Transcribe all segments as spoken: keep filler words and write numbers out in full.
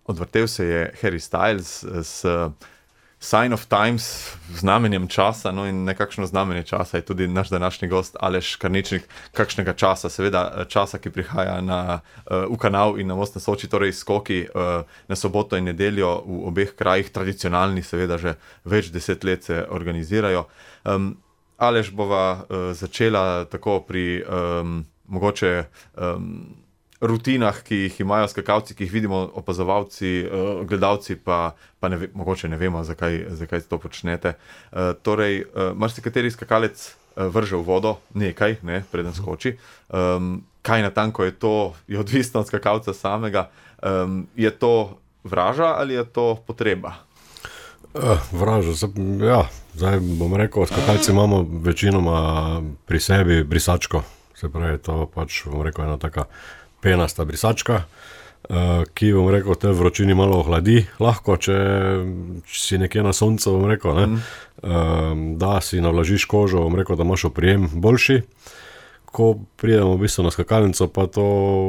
odvrtel se je Harry Styles s Sign of Times, znamenjem časa, no in nekakšno znamenje časa je tudi naš današnji gost Aleš Karničnik, kakšnega časa, seveda časa, ki prihaja na, uh, v kanal in na Most na Soči, torej skoki uh, na soboto in nedeljo v obeh krajih, tradicionalni, seveda že več deset let se organizirajo. Um, Aleš bova uh, začela tako pri um, mogoče um, rutinah, ki jih imajo skakalci, ki jih vidimo opazovalci, uh, gledalci, pa, pa ne ve, mogoče ne vemo, zakaj, zakaj to počnete. Uh, torej, uh, marsikateri skakalec uh, vrže v vodo nekaj, ne, preden skoči. Um, kaj natanko je to, je odvisno od skakalca samega. Um, je to vraža ali je to potreba? Uh, vraža, ja, zdaj bom rekel, skakalci imamo večinoma pri sebi brisačko, se pravi, to pač, bom rekel, ena taka penasta brisačka, ki, bom rekel, te vročini malo ohladi, lahko, če, če si nekje na soncu, bom rekel, ne, mm. da si navlažiš kožo, bom rekel, da imaš oprijem boljši, ko pridemo v bistvu na skakalnico, pa to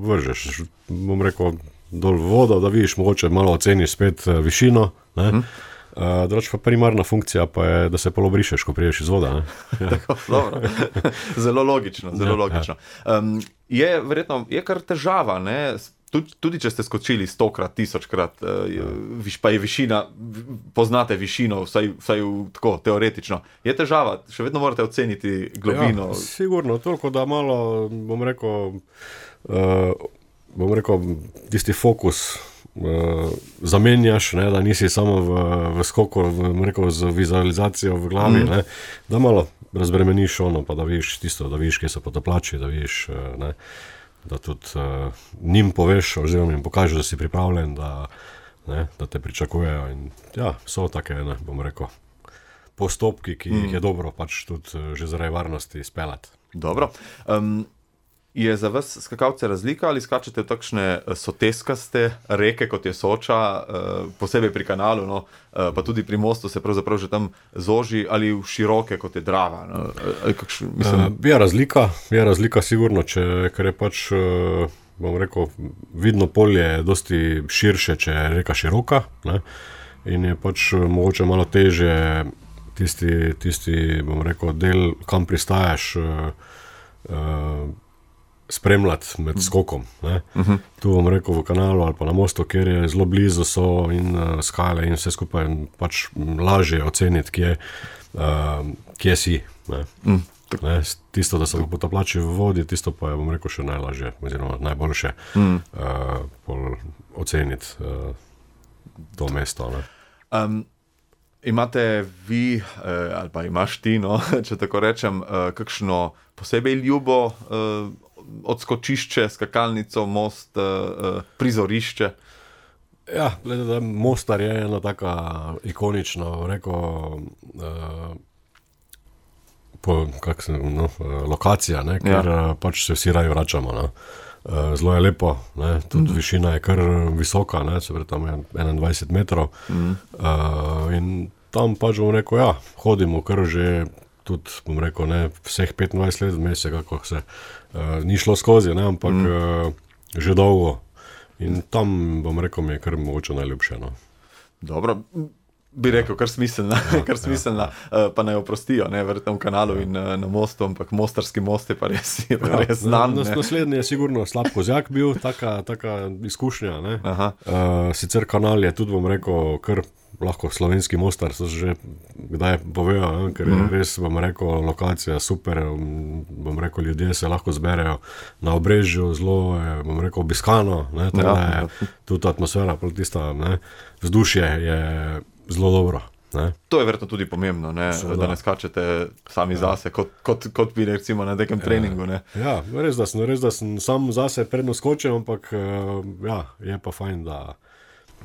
vržeš, bom rekel, dol v vodo, da vidiš, mogoče malo oceniš spet višino, ne, mm. Drugač pa primarna funkcija pa je, da se polo brišeš, ko priješ iz voda. Ja. Tako, dobro. Zelo logično, zelo ja, logično. Ja. Um, je verjetno, je kar težava, ne? Tudi, tudi če ste skočili stokrat, tisočkrat, uh, ja. viš, pa je višina, poznate višino, vsaj, vsaj v, tako teoretično. Je težava, še vedno morate oceniti globino. Ja, sigurno, toliko, da malo, bom rekel, uh, bom rekel, tisti fokus Uh, zamenjaš, ne, da nisi samo v, v skoku, v, rekel, z vizualizacijo v glavi, mm. ne, da malo razbremeniš ono, pa da vidiš tisto, da vidiš, kje so potapljači, da vidiš, ne, da tudi uh, njim poveš, oziroma jim pokažeš, da si pripravljen, da, ne, da te pričakujejo in ja, so take, ne, bom rekel, postopki, ki mm. jih je dobro pač tudi že zaradi varnosti speljati. Dobro. Um, Je za vas skakalce razlika ali skačete v takšne soteskaste reke, kot je Soča, posebej pri kanalu, no, pa tudi pri mostu se pravzaprav že tam zoži, ali v široke, kot je Drava? No, kakšen, mislim... Je razlika, je razlika sigurno, če, ker je pač, bom rekel, vidno polje dosti širše, če je reka široka, ne, in je pač mogoče malo težje tisti, tisti, bom rekel, del, kam pristajaš, uh, spremljati med skokom. Ne. Uh-huh. Tu bom rekel v kanalu ali pa na mostu, kjer je zelo blizu so in uh, skale in vse skupaj pač lažje oceniti, kje, uh, kje si. Ne. Mm. Ne, tisto, da so potapljači v vodi, tisto pa je, bom rekel, še najlažje, oziroma najboljše mm. uh, oceniti uh, to mesto. Ne. Um, imate vi, uh, ali pa imaš ti, no, če tako rečem, uh, kakšno posebej ljubo uh, odskočišče, skakalnico, most, uh, prizorišče? Ja, glede, Mostar je ena taka ikonična, rekel, uh, po, kak se, no, lokacija, ne, ker ja. pač se vsi raje vračamo. Ne. Zelo je lepo, ne, tudi mm. višina je kar visoka, ne, se pravi, tam je enaindvajset metrov. Mm. Uh, in tam pač bom rekel, ja, hodimo kar že tudi, bom rekel, ne, vseh petindvajset let vmes, kako se uh, ni šlo skozi, ne, ampak mm. uh, že dolgo. In tam, bom rekel, mi je kar mogoče najljubše. No. Dobro, bi rekel, kar smiselna, ja, kar smiselna, ja, ja. pa naj oprostijo, ne, verjetno v kanalu ja. in na mostu, ampak Mostarski most je pa res, je pa ja, res znan. Na, naslednji je sigurno Slap Kozjak bil, taka, taka izkušnja. Ne. Uh, sicer kanal je tudi, bom rekel, kar lahko slovenski Mostar, so že kdaj povejo, ne, ker je mm. res, bom rekel, lokacija super, bom rekel, ljudje se lahko zberejo na Obrežju, zelo je, bom rekel, obiskano, ne, ja, je ja. tudi atmosfera, tista, ne, vzdušje je zelo dobro. Ne. To je verjetno tudi pomembno, ne? Da ne skačete sami ja. zase, kot, kot, kot bi recimo na nekem treningu. Ne? Ja, res da, sem, res da sem sam zase predno skočil, ampak ja, je pa fajn, da,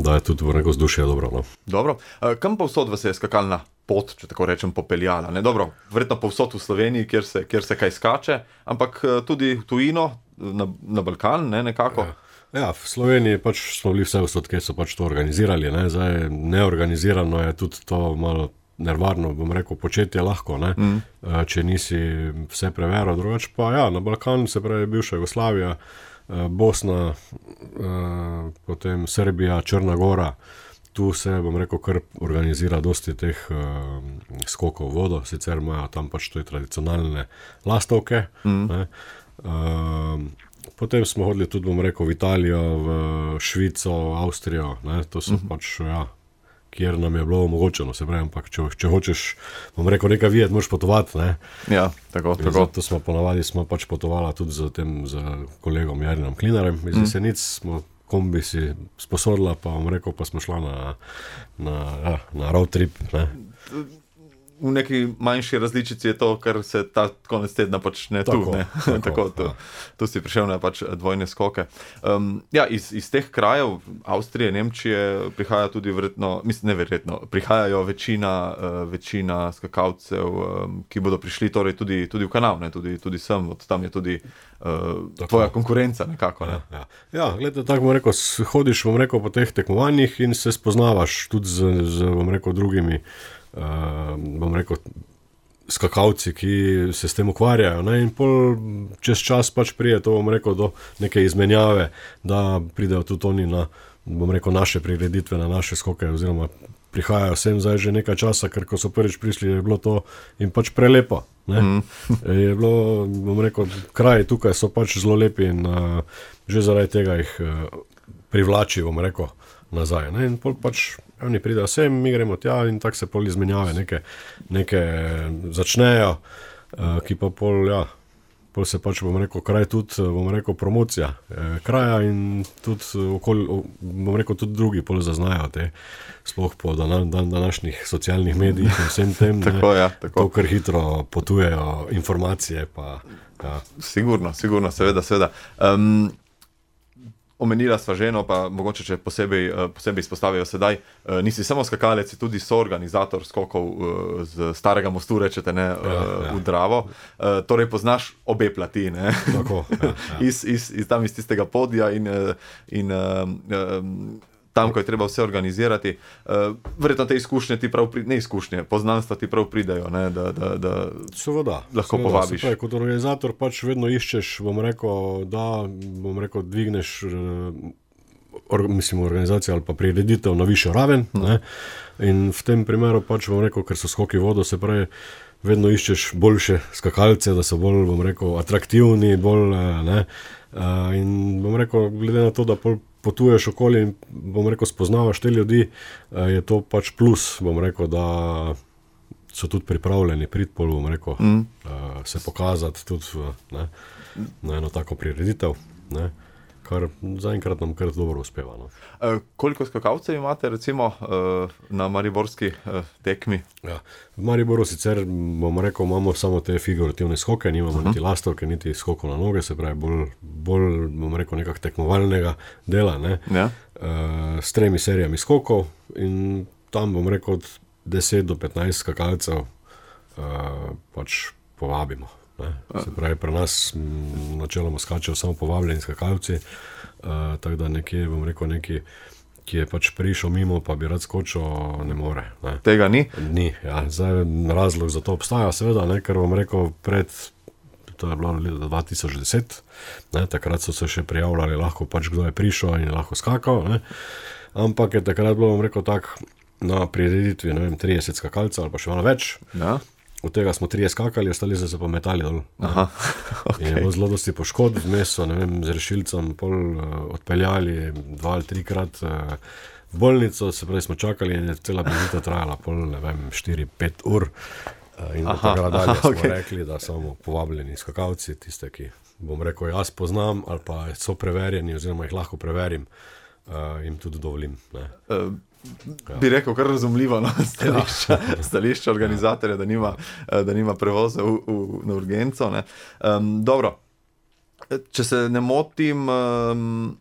da je tudi v neko vzdušje dobro. No. Dobro. Kam pa vsod vas je skakalna pot, če tako rečem, popeljala? Ne? Dobro, verjetno pa vsod v Sloveniji, kjer se, kjer se kaj skače, ampak tudi v tujino, na, na Balkan, ne, nekako. Ja. Ja, v Sloveniji pač smo bili vse vsod, kjer so pač to organizirali. Ne. Zdaj, neorganizirano je tudi to malo nervarno, bom rekel, početje lahko, ne. Mm. Če nisi vse preveril. Drugač pa ja, na Balkanu, se pravi bivša Jugoslavija, Bosna, potem Srbija, Črna Gora. Tu se, bom rekel, kar organizira dosti teh uh, skokov v vodo, sicer imajo tam pač to tradicionalne lastovke. Mm. Ne. Uh, potem smo hodili tudi, bom rekel, v Italijo, v Švico, Avstrijo, ne. To so mm. pač, ja, kjer nam je bilo omogočeno, se pravi, ampak če, če hočeš, bom rekel, nekaj videti, moraš potovati, ne. Ja, tako, tako. Zato smo ponavadi, smo pač potovala tudi z tem, z kolegom Jarinom Klinarjem, iz Jesenic smo kombi si sposodila, pa vam rekel, pa smo šla na, na, ja, na road trip. Ne. V neki manjši različici je to, kar se ta konec tedna počne tu. Tako, ne. tako, tako, tu, ja. tu si prišel na pač dvojne skoke. Um, ja, iz, iz teh krajev, Avstrije, Nemčije, prihaja tudi verjetno, mislim, ne verjetno, prihajajo večina, uh, večina skakalcev, um, ki bodo prišli torej tudi, tudi v kanal, ne, tudi, tudi sem, od tam je tudi uh, tvoja konkurenca nekako. Ne. Ja, ja. ja gledaj, tako bom rekel, hodiš, bom rekel, po teh tekmovanjih in se spoznavaš tudi z, z bom rekel, drugimi Uh, bom rekel, skakalci, ki se s tem ukvarjajo, ne? In pol čez čas pač prije to, bom rekel, do neke izmenjave, da pridejo tudi oni na, bom rekel, naše prireditve, na naše skoke, oziroma prihajajo sem zdaj že nekaj časa, ker ko so prvič prišli, je bilo to in pač prelepo, ne? Mm. Je bilo, bom rekel, kraji tukaj so pač zelo lepi in uh, že zaradi tega jih uh, privlači, bom rekel, nazaj, ne? In pol pač oni pridejo sem, mi gremo tja in tako se pol izmenjave neke, neke začnejo, uh, ki pa pol, ja, pol se pač, bom rekel, kraj tudi, bom rekel, promocija eh, kraja in tudi okoli, bom rekel, tudi drugi pol zaznajo te, sploh po dan, dan, današnjih socialnih medijih in vsem tem, tako, ja, tako. To, kar hitro potujejo informacije, pa, ja. Sigurno, sigurno, seveda, seveda. Um, Omenila sva ženo, pa mogoče, če posebej, posebej izpostavijo sedaj, nisi samo skakalec, tudi soorganizator skokov z Starega mostu, rečete, ne, ja, ja. v Dravo. Torej poznaš obe plati, ne? Tako, ja, ja. iz, iz, iz, tam iz tistega podija in, in um, tam, ko je treba vse organizirati. Verjetno te izkušnje ti prav pridejo, ne izkušnje, poznanstva ti prav pridejo, ne, da, da, da seveda, lahko seveda, povabiš. Se pravi, kot organizator pač vedno iščeš, bom rekel, da, bom rekel, dvigneš or, mislim, organizacijo ali pa prireditev na višjo raven, hmm. ne, in v tem primeru pač, bom rekel, ker so skoki v vodo, se pravi, vedno iščeš boljše skakalce, da so bolj, bom rekel, atraktivni, bolj, ne, in bom rekel, glede na to, da pol potuješ okoli in, bom rekel, spoznavaš te ljudi, je to pač plus, bom rekel, da so tudi pripravljeni priti pol, bom rekel, mm. se pokazati tudi, ne, na eno tako prireditev, ne, kar zaenkrat nam kar dobro uspeva. No. E, koliko skakalcev imate, recimo, na mariborski tekmi? Ja, v Mariboru sicer, bom rekel, imamo samo te figurativne skoke, nimamo uh-huh. niti lastovke, niti skokov na noge, se pravi, bolj, bolj bom rekel, nekak tekmovalnega dela, ne, ja. e, s tremi serijami skokov in tam, bom rekel, od deset do petnajst skakalcev e, pač povabimo. Ne. Se pravi, pri nas m, načeloma skačejo samo povabljeni skakalci, uh, tako da nekje, bom rekel, neki, ki je pač prišel mimo, pa bi rad skočil, ne more. Ne. Tega ni? Ni, ja. Zdaj razlog za to obstaja, seveda, ne, ker bom rekel, pred, to je bilo leta dva tisoč deset, ne, takrat so se še prijavljali, lahko pač kdo je prišel in je lahko skakal, ne. Ampak je takrat bilo, bom rekel, tak, na prireditvi, ne vem, trideset skakalcev ali pa še malo več. Ja. Od tega smo trije skakali, ostali so se pa metali dol. Aha, okay. In je bilo zelo dosti poškodb, vmes so, ne vem, z rešilcem pol uh, odpeljali dva ali trikrat uh, v bolnico, se pravi smo čakali in je cela prireditev trajala pol, ne vem, štiri pet ur. Uh, in od tega dalje smo okay. rekli, da samo povabljeni skakalci, tiste, ki, bom rekel, jaz poznam ali pa so preverjeni oziroma jih lahko preverim, uh, jim tudi dovolim. Ne. Uh. Ja. Bi rekel, kar razumljivo, no, stališča, ja. stališča organizatorja, da nima, da nima prevoza v, v, na urgenco. Ne. Um, dobro, če se ne motim, um,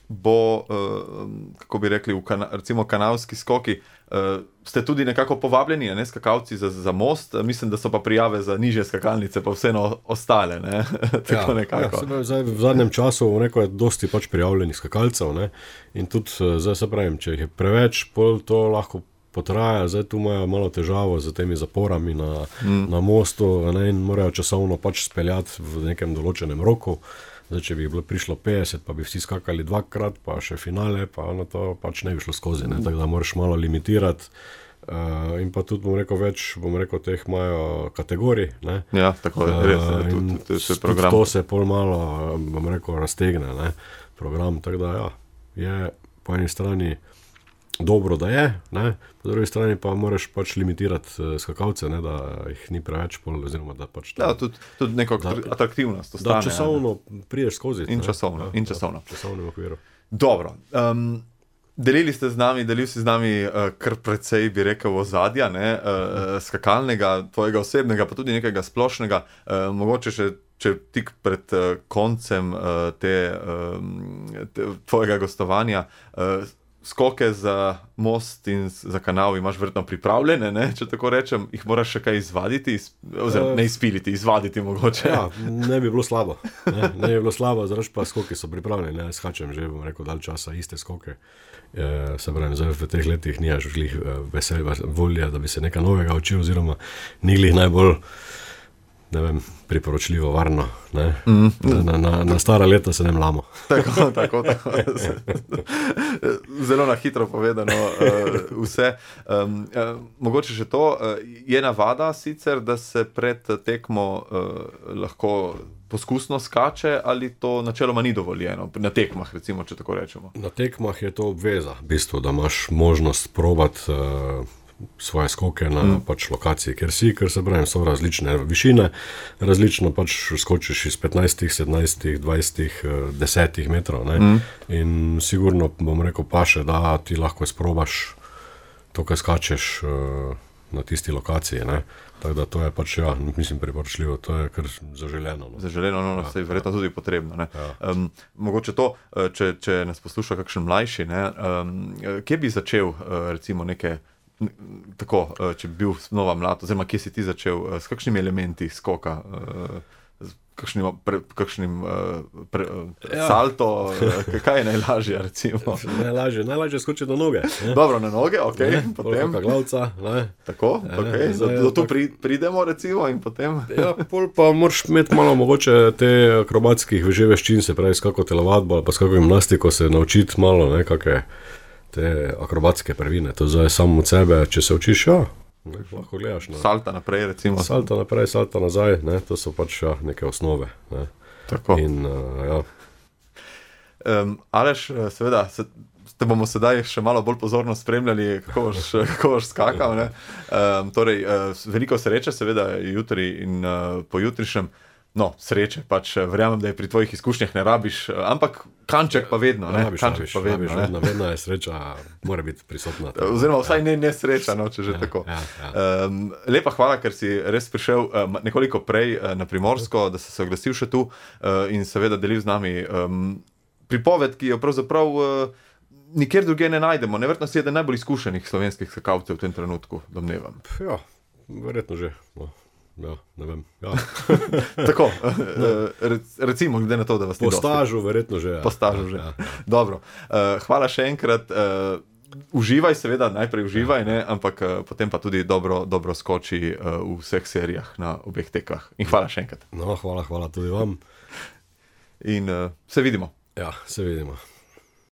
bo, um, kako bi rekli, v kana, recimo kanalski skoki, uh, ste tudi nekako povabljeni, ne, skakalci za, za most, mislim, da so pa prijave za nižje skakalnice, pa vseeno ostale, ne, tako ja, nekako. Ja, zdaj, v zadnjem času neko je dosti pač prijavljenih skakalcev, ne, in tudi, zdaj se pravim, če jih je preveč, pol to lahko potraja, zdaj tu imajo malo težavo z temi zaporami na, mm. na mostu, ne, in morajo časovno pač speljati v nekem določenem roku, Zdaj, če bi bilo prišlo petdeset, pa bi vsi skakali dvakrat, pa še finale, pa na to pač ne bi šlo skozi, ne? Tako da moraš malo limitirati. Uh, in pa tudi, bom rekel, več, bom rekel, teh imajo kategorij, ne? Ja, tako je, res je, tudi, tudi, tudi program. To se pol malo, bom rekel, raztegne, ne? Program, tako da ja, je po eni strani dobro, da je, ne? Po drugi strani pa moraš pač limitirati skakalce, ne? Da jih ni preveč pol, oziroma da pač... Da, tudi, tudi neko da, atraktivnost ostane. Da časovno ja, priješ skozi. In časovno, ja, in časovno. Da, časovno v okviru. Dobro, um, delili ste z nami, delil si z nami uh, kar precej, bi rekel, ozadja, ne? Uh, skakalnega, tvojega osebnega, pa tudi nekega splošnega, uh, mogoče še če tik pred uh, koncem uh, te, uh, te, tvojega gostovanja, uh, skoke za most in za kanal imaš verjetno pripravljene, ne? Če tako rečem, jih moraš še kaj izvaditi, oziroma ne izpiliti, izvaditi mogoče. Ja, ne bi bilo slabo, ne, ne bi bilo slabo, zrač pa skoki so pripravljeni, ne, skačem že, bom rekel, dalj časa iste skoke. E, se pravim, zdaj v teh letih nijaš glih veselja, volja, da bi se nekaj novega učil, oziroma ni glih najbolj, ne vem, priporočljivo, varno, ne? Mm. Na, na, na stara leta se ne mlamo. Tako, tako, tako. Zelo na hitro povedano uh, vse. Um, uh, mogoče še to, uh, je navada sicer, da se pred tekmo uh, lahko poskusno skače, ali to načeloma ni dovoljeno? Na tekmah, recimo, če tako rečemo. Na tekmah je to obveza, v bistvu, da imaš možnost probati uh, svoje skoke na mm. pač lokaciji, ker si, ker se pravim, so različne višine, različno pač skočiš iz petnajst, sedemnajst, dvajset, deset metrov, ne? Mm. In sigurno, bom rekel, paše, da ti lahko sprobaš to, kaj skačeš uh, na tisti lokaciji, ne? Tako da to je pač, ja, mislim, priporočljivo, to je kar zaželeno. No. Zaželeno, no, ja, se je verjetno tudi potrebno, ne. Ja. Um, mogoče to, če, če nas posluša kakšen mlajši, ne, um, kje bi začel, uh, recimo, neke tako, če bi bil znova mlad, oziroma kje si ti začel, s kakšnimi elementi skoka, s kakšnim, pre, kakšnim pre, ja. salto, kaj je najlažje, recimo? Najlažje, najlažje skočiti na noge. Ne? Dobro, na noge, ok, ne? Potem. Polka glavca, ne? Tako, ja, ok, do, do tu pri, pridemo, recimo, in potem. Ja, pol pa moraš imeti malo mogoče te akrobatskih že veščin, se pravi, s kako telovadbo, pa s kako gimnastiko se naučiti malo, ne, kakve te akrobatske prvine, to zdaj samo od sebe, če se učiš, ja, ne, lahko gledaš. Ne. Salta naprej, recimo. Salta naprej, salta nazaj, ne, to so pač ja, neke osnove. Ne. Tako. In, uh, ja. Um, Aleš, seveda, se, te bomo sedaj še malo bolj pozorno spremljali, kako boš, kako boš skakal, ne. Um, torej, uh, veliko sreče, seveda, jutri in uh, pojutrišnjem. No, sreče, pač verjamem, da je pri tvojih izkušnjah ne rabiš, ampak kanček pa vedno, ne? Rabiš, kanček rabiš, pa vedno, rabiš, ne? vedno, vedno je sreča, mora biti prisotna. Oziroma vsaj ja. ne nesreča, no, če že ja, tako. Ja, ja. Um, lepa hvala, ker si res prišel um, nekoliko prej uh, na Primorsko, da si se oglasil še tu uh, in seveda delil z nami um, pripoved, ki jo pravzaprav uh, nikjer drugje ne najdemo. Neverjetno si eden najbolj izkušenih slovenskih skakalcev v tem trenutku, domnevam. Ja, verjetno že, no. Ja, ne vem. Ja. Tako, recimo, glede na to, da vas ni dosti. Po stažu, verjetno že. Ja. Po stažu že. Ja, ja. Dobro. Hvala še enkrat. Uživaj, seveda, najprej uživaj, ne, ampak potem pa tudi dobro, dobro skoči v vseh serijah na obeh tekah. In hvala še enkrat. No, hvala, hvala tudi vam. In se vidimo. Ja, se vidimo.